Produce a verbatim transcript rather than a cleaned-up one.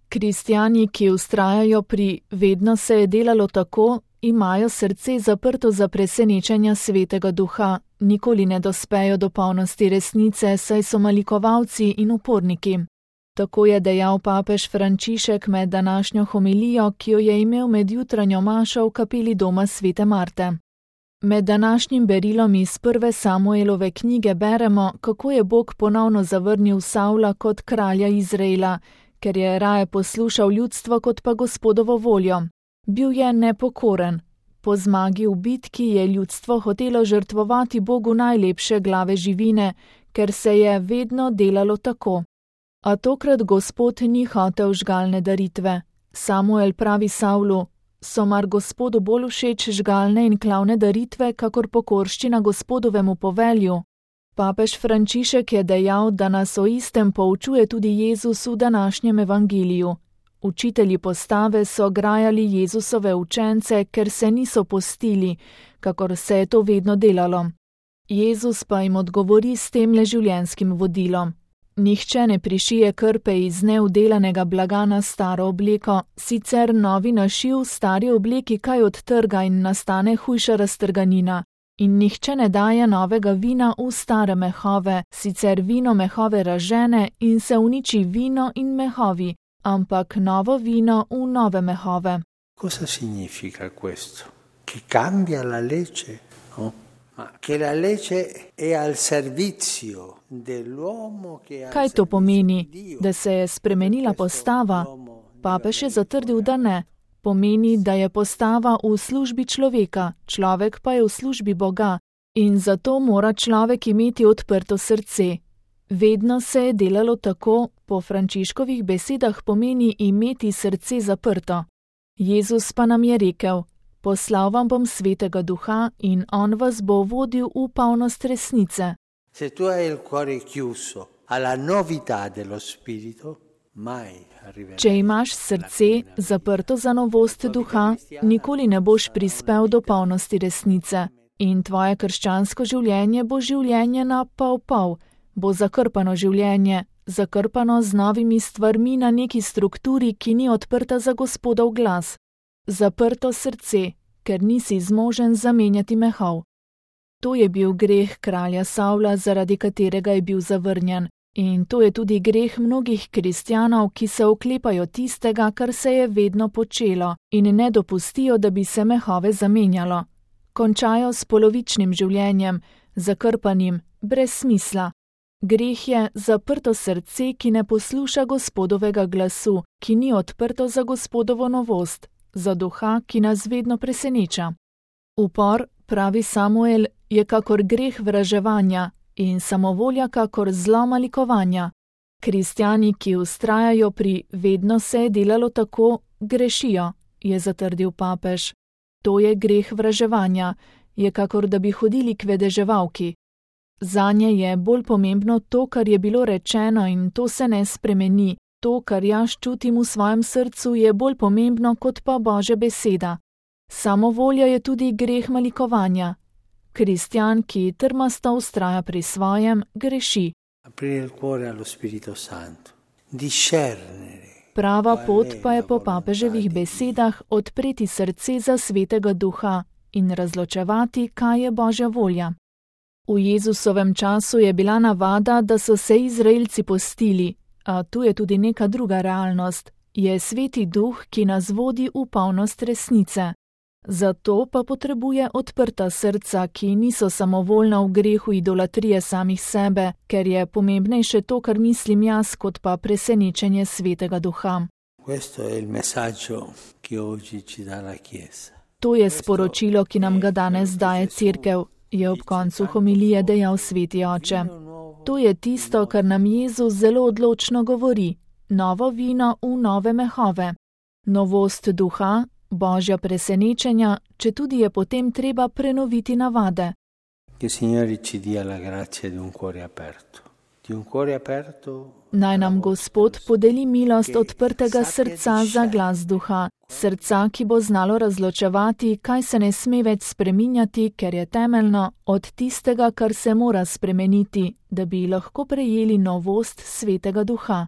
Kristjani, ki vztrajajo pri vedno se je delalo tako, imajo srce zaprto za presenečenja Svetega Duha, nikoli ne dospejo do polnosti resnice, saj so malikovalci in uporniki. Tako je dejal papež Frančišek med današnjo homilijo, ki jo je imel med jutranjo mašo v kapeli doma svete Marte. Med današnjim berilom iz prve Samuelove knjige beremo, kako je Bog ponovno zavrnil Savla kot kralja Izraela, ker je raje poslušal ljudstvo kot pa Gospodovo voljo. Bil je nepokoren. Po zmagi v bitki je ljudstvo hotelo žrtvovati Bogu najlepše glave živine, ker se je vedno delalo tako. A tokrat Gospod ni hotel žgalne daritve. Samuel pravi Savlu: so mar Gospodu bolj všeč žgalne in klavne daritve, kakor pokorščina Gospodovemu povelju? Papež Frančišek je dejal, da nas o istem poučuje tudi Jezus v današnjem evangeliju. Učitelji postave so grajali Jezusove učence, ker se niso postili, kakor se je to vedno delalo. Jezus pa jim odgovori s temle življenjskim vodilom. Nihče ne prišije krpe iz neudelanega blaga na staro obleko, sicer novi našiv stari obleki kaj odtrga in nastane hujša raztrganina. In nihče ne daje novega vina v stare mehove, sicer vino mehove razžene in se uniči vino in mehovi, ampak novo vino v nove mehove. Cosa significa questo? Che cambia la legge? No? Ma che la legge è al servizio dell'uomo che ha. Kaj to pomeni, da se je spremenila postava? Papež je zatrdil, da ne. Pomeni, da je postava v službi človeka, človek pa je v službi Boga in zato mora človek imeti odprto srce. Vedno se je delalo tako, po Frančiškovih besedah pomeni imeti srce zaprto. Jezus pa nam je rekel: poslal vam bom Svetega Duha in on vas bo vodil v polnost resnice. Se tu hai il cuore chiuso alla novità dello spirito, mai. Če imaš srce zaprto za novost duha, nikoli ne boš prispel do polnosti resnice in tvoje krščansko življenje bo življenje na pol pol, bo zakrpano življenje, zakrpano z novimi stvarmi na neki strukturi, ki ni odprta za Gospodov glas. Zaprto srce, ker nisi zmožen zamenjati mehov. To je bil greh kralja Savla, zaradi katerega je bil zavrnjen. In to je tudi greh mnogih kristjanov, ki se oklepajo tistega, kar se je vedno počelo, in ne dopustijo, da bi se mehove zamenjalo. Končajo s polovičnim življenjem, zakrpanim, brez smisla. Greh je zaprto srce, ki ne posluša Gospodovega glasu, ki ni odprto za Gospodovo novost, za duha, ki nas vedno preseneča. Upor, pravi Samuel, je kakor greh vraževanja in samovolja kakor zlo malikovanja. Kristjani, ki vztrajajo pri vedno se je delalo tako, grešijo, je zatrdil papež. To je greh vraževanja, je kakor da bi hodili k vedeževalki. Zanje je bolj pomembno to, kar je bilo rečeno in to se ne spremeni. To, kar jaz čutim v svojem srcu, je bolj pomembno kot pa Božja beseda. Samovolja je tudi greh malikovanja. Kristjan, ki trmasto vztraja pri svojem, greši. Prava pot pa je po papeževih besedah odpreti srce za Svetega Duha in razločevati, kaj je Božja volja. V Jezusovem času je bila navada, da so se Izraelci postili, a tu je tudi neka druga realnost. Je Sveti Duh, ki nas vodi v polnost resnice. Zato pa potrebuje odprta srca, ki niso samovoljna v grehu idolatrije samih sebe, ker je pomembnejše to, kar mislim jaz, kot pa presenečenje Svetega Duha. To je sporočilo, ki nam ga danes daje Cerkev, je ob koncu homilije dejal Sveti Oče. To je tisto, kar nam Jezus zelo odločno govori. Novo vino v nove mehove. Novost duha, Božja presenečenja, če tudi je potem treba prenoviti navade. Naj nam Gospod podeli milost odprtega srca za glas duha, srca, ki bo znalo razločevati, kaj se ne sme več spreminjati, ker je temeljno, od tistega, kar se mora spremeniti, da bi lahko prejeli novost Svetega Duha.